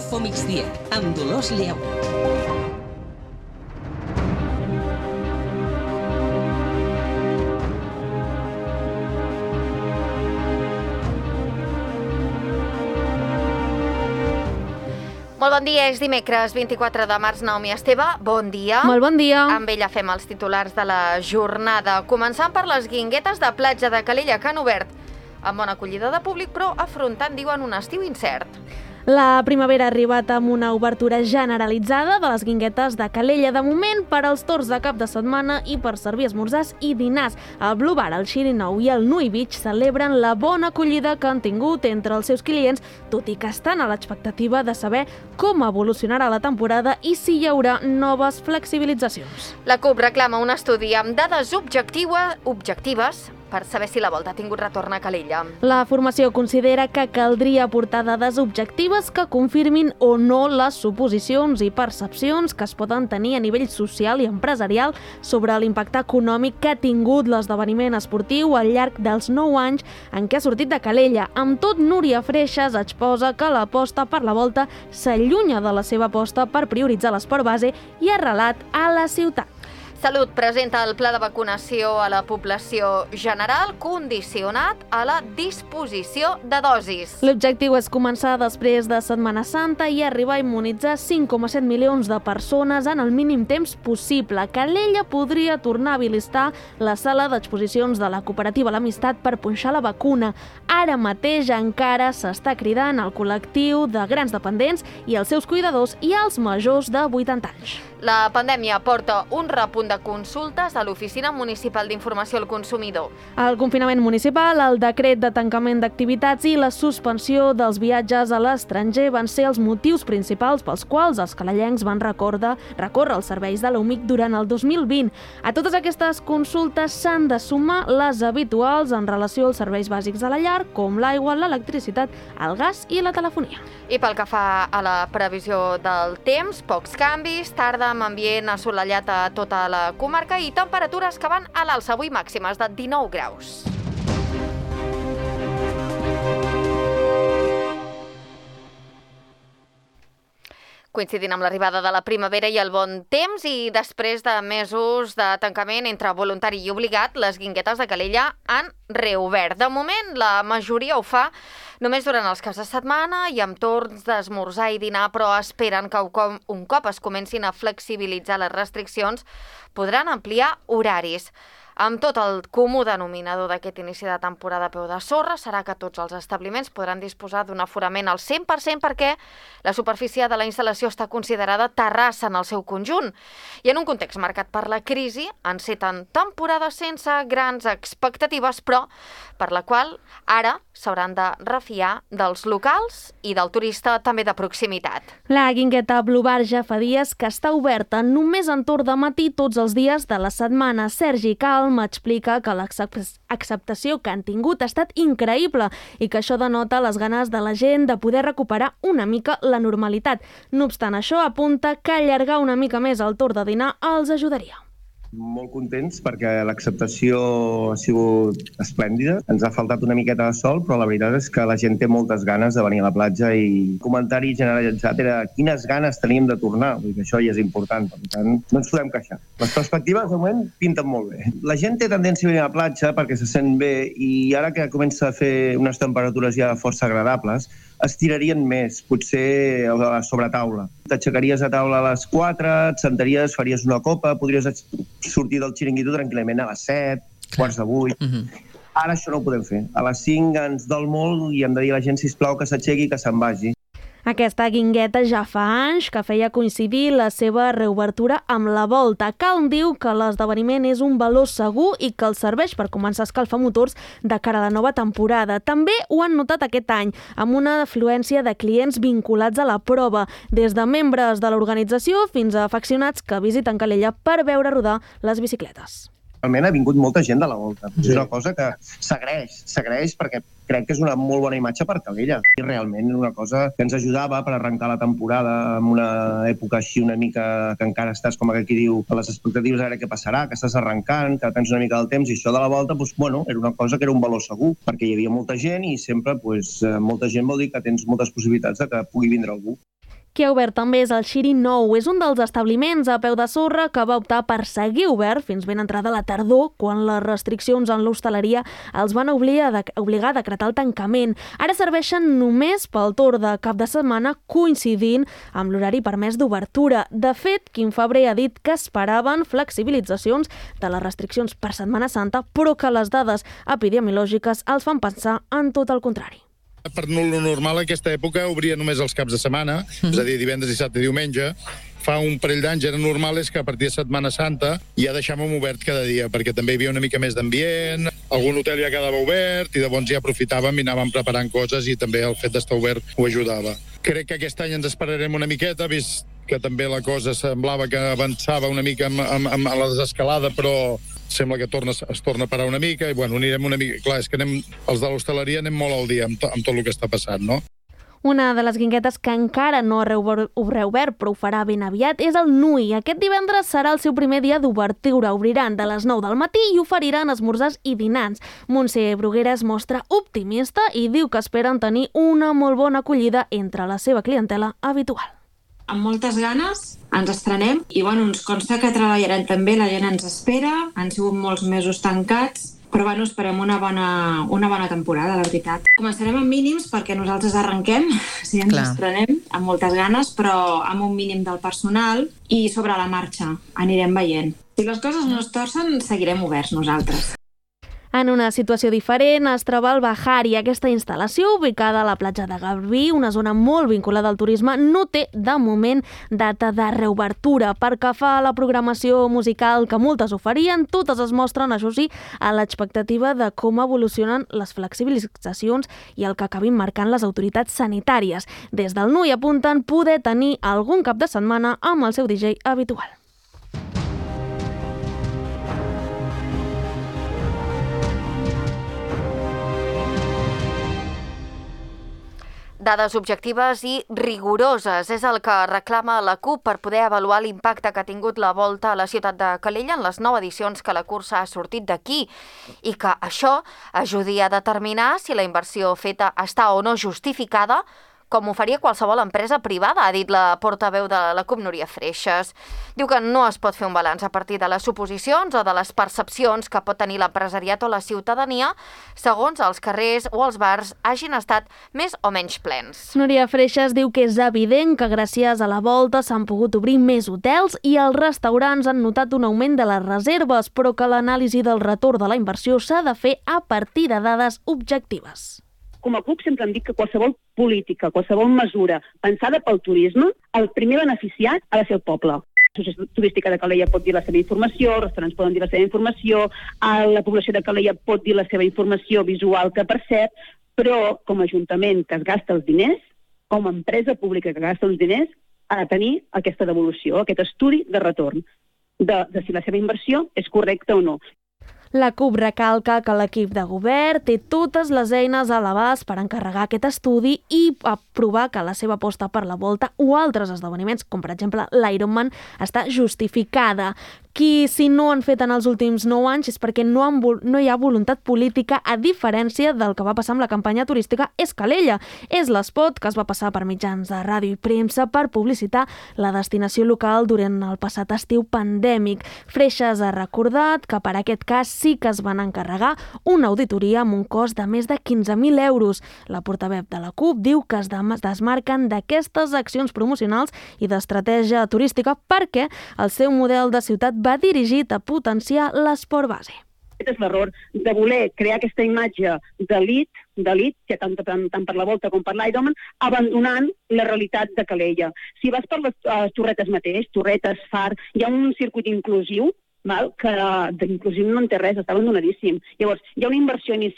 Info Migdia, amb Dolors Lleu. Molt bon dia, és dimecres 24 de març. Naomi Esteve, bon dia. Molt bon dia. Amb ella fem els titulars de la jornada. Començant per les guinguetes de platja de Calella, que han obert amb bona acollida de públic, però afrontant, diuen, un estiu incert. La primavera ha arribat amb una obertura generalitzada de les guinguetes de Calella. De moment, per als torns de cap de setmana i per servir esmorzars i dinars. El Blue Bar, el Chirinou i el Nui Beach celebren la bona acollida que han tingut entre els seus clients, tot i que estan a l'expectativa de saber com evolucionarà la temporada i si hi haurà noves flexibilitzacions. La CUP reclama un estudi amb dades objectives per saber si la volta ha tingut retorn a Calella. La formació considera que caldria aportar dades objectives que confirmin o no les suposicions i percepcions que es poden tenir a nivell social i empresarial sobre l'impacte econòmic que ha tingut l'esdeveniment esportiu al llarg dels 9 anys en què ha sortit de Calella. Amb tot, Núria Freixas exposa que l'aposta per la volta s'allunya de la seva aposta per prioritzar l'esport base i arrelat a la ciutat. Salut presenta el pla de vacunació a la població general condicionat a la disposició de dosis. L'objectiu és començar després de Setmana Santa i arribar a immunitzar 5,7 milions de persones en el mínim temps possible. Calella podria tornar a habilitar la sala d'exposicions de la cooperativa L'Amistat per punxar la vacuna. Ara mateix encara s'està cridant al col·lectiu de grans dependents i els seus cuidadors i als majors de 80 anys. La pandèmia porta un repunt de consultes a l'Oficina Municipal d'Informació al Consumidor. El confinament municipal, el decret de tancament d'activitats i la suspensió dels viatges a l'estranger van ser els motius principals pels quals els calellencs van recórrer els serveis de l'UMIC durant el 2020. A totes aquestes consultes s'han de sumar les habituals en relació als serveis bàsics de la llar, com l'aigua, l'electricitat, el gas i la telefonia. I pel que fa a la previsió del temps, pocs canvis, tarda amb ambient assolellat a tota la comarca i temperatures que van a l'alça, avui màximes de 19 graus. Coincidint amb l'arribada de la primavera i el bon temps i després de mesos de tancament entre voluntari i obligat, les guinguetes de Calella han reobert. De moment, la majoria ho fa només durant els caps de setmana i amb torns d'esmorzar i dinar, però esperen que un cop es comencin a flexibilitzar les restriccions, podran ampliar horaris. Amb tot, el comú denominador d'aquest inici de temporada a peu de sorra serà que tots els establiments podran disposar d'un aforament al 100% perquè la superfície de la instal·lació està considerada terrassa en el seu conjunt. I en un context marcat per la crisi, enceten temporades sense grans expectatives, però per la qual ara s'hauran de refiar dels locals i del turista també de proximitat. La guingueta Blue Bar ja fa dies que està oberta només en torn de matí tots els dies de la setmana. Sergi Calm explica que l'acceptació que han tingut ha estat increïble i que això denota les ganes de la gent de poder recuperar una mica la normalitat. No obstant això, apunta que allargar una mica més el torn de dinar els ajudaria. Molt contents perquè l'acceptació ha sigut esplèndida. Ens ha faltat una miqueta de sol, però la veritat és que la gent té moltes ganes de venir a la platja i el comentari generalitzat era quines ganes teníem de tornar. Vull dir que això ja és important, per tant, no ens podem queixar. Les perspectives, de moment, pinten molt bé. La gent té tendència a venir a la platja perquè se sent bé i ara que comença a fer unes temperatures ja força agradables, estirarien més, potser a la sobretaula. T'aixecaries a taula a les 4, et sentaries, faries una copa, podries sortir del xiringuito tranquil·lament a les 7, quarts de 8. Ara això no ho podem fer. A les 5 ens dol molt i hem de dir a la gent, sisplau, que s'aixequi i que se'n vagi. Aquesta guingueta ja fa anys que feia coincidir la seva reobertura amb la volta. Calm diu que l'esdeveniment és un valor segur i que els serveix per començar a escalfar motors de cara a la nova temporada. També ho han notat aquest any, amb una afluència de clients vinculats a la prova, des de membres de l'organització fins a afeccionats que visiten Calella per veure rodar les bicicletes. Realment ha vingut molta gent de la volta. És una cosa que s'agraeix perquè crec que és una molt bona imatge per Calella. I realment una cosa que ens ajudava per arrencar la temporada en una època així una mica que encara estàs, com aquí diu, a les expectatives a veure què passarà, que estàs arrencant, que depens una mica del temps, i això de la volta, doncs, bueno, era una cosa que era un valor segur, perquè hi havia molta gent i sempre molta gent vol dir que tens moltes possibilitats de que pugui vindre algú. Qui ha obert també és el Xiri Nou. És un dels establiments a peu de sorra que va optar per seguir obert fins ben entrada la tardor, quan les restriccions en l'hostaleria els van obligar a decretar el tancament. Ara serveixen només pel torn de cap de setmana, coincidint amb l'horari permès d'obertura. De fet, Quim Febrer ha dit que esperaven flexibilitzacions de les restriccions per Setmana Santa, però que les dades epidemiològiques els fan pensar en tot el contrari. Per lo normal, en aquesta època obria només els caps de setmana, és a dir, divendres, dissabte i diumenge. Fa un parell d'anys era normal és que a partir de Setmana Santa ja deixàvem obert cada dia, perquè també hi havia una mica més d'ambient, algun hotel ja quedava obert i llavors ja aprofitàvem i anàvem preparant coses i també el fet d'estar obert ho ajudava. Crec que aquest any ens esperarem una miqueta, vist que també la cosa semblava que avançava una mica amb la desescalada, però sembla que es torna a parar una mica i bueno, anirem una mica... Clar, és que els de l'hostaleria anem molt al dia amb tot el que està passant, no? Una de les guinguetes que encara no ha reobert, però ho farà ben aviat, és el Nui. Aquest divendres serà el seu primer dia d'obertura. Obriran de les 9 del matí i oferiran esmorzars i dinars. Montse Bruguera es mostra optimista i diu que esperen tenir una molt bona acollida entre la seva clientela habitual. Amb moltes ganes ens estrenem i ens consta que treballarem també, la gent ens espera, han sigut molts mesos tancats, però esperem una bona temporada, la veritat. Començarem amb mínims perquè nosaltres arrenquem, ens estrenem amb moltes ganes, però amb un mínim del personal i sobre la marxa anirem veient. Si les coses no es torcen, seguirem oberts nosaltres. En una situació diferent es troba el Bahari. Aquesta instal·lació, ubicada a la platja de Garbí, una zona molt vinculada al turisme, no té, de moment, data de reobertura. Pel que fa a la programació musical que moltes oferien, totes es mostren, això sí, a l'expectativa de com evolucionen les flexibilitzacions i el que acabin marcant les autoritats sanitàries. Des del Nui apunten poder tenir algun cap de setmana amb el seu DJ habitual. Dades objectives i rigoroses és el que reclama la CUP per poder avaluar l'impacte que ha tingut la Volta a la ciutat de Calella en les 9 edicions que la cursa ha sortit d'aquí i que això ajudi a determinar si la inversió feta està o no justificada, com ho faria qualsevol empresa privada, ha dit la portaveu de la CUP, Núria Freixas. Diu que no es pot fer un balanç a partir de les suposicions o de les percepcions que pot tenir l'empresariat o la ciutadania segons els carrers o els bars hagin estat més o menys plens. Núria Freixas diu que és evident que gràcies a la Volta s'han pogut obrir més hotels i els restaurants han notat un augment de les reserves, però que l'anàlisi del retorn de la inversió s'ha de fer a partir de dades objectives. Com a CUP sempre hem dit que qualsevol política, qualsevol mesura pensada pel turisme, el primer beneficiat ha de ser el poble. L'Associació Turística de Calella pot dir la seva informació, els restaurants poden dir la seva informació, la població de Calella pot dir la seva informació visual que percep, però com a ajuntament que es gasta els diners, com a empresa pública que gasta els diners, ha de tenir aquesta devolució, aquest estudi de retorn de si la seva inversió és correcta o no. La CUP recalca que l'equip de govern té totes les eines a l'abast per encarregar aquest estudi i aprovar que la seva aposta per la Volta o altres esdeveniments, com per exemple l'Ironman, està justificada. Qui, si no han fet en els últims 9 anys, és perquè no hi ha voluntat política, a diferència del que va passar amb la campanya turística és Calella. És l'espot que es va passar per mitjans de ràdio i premsa per publicitar la destinació local durant el passat estiu pandèmic. Freixas ha recordat que per aquest cas sí que es van encarregar una auditoria amb un cost de més de 15.000 euros. La portaveu de la CUP diu que es desmarquen d'aquestes accions promocionals i d'estratègia turística perquè el seu model de ciutat va dirigit a potenciar l'esport base. Aquest és l'error de voler crear aquesta imatge d'elit, que tant per la Volta com per l'Ironman, abandonant la realitat de Calella. Si vas per les Torretes mateix, Torretes, Far, hi ha un circuit inclusiu, que d'inclusiu no en té res, està abandonadíssim. Llavors, hi ha una inversió inicial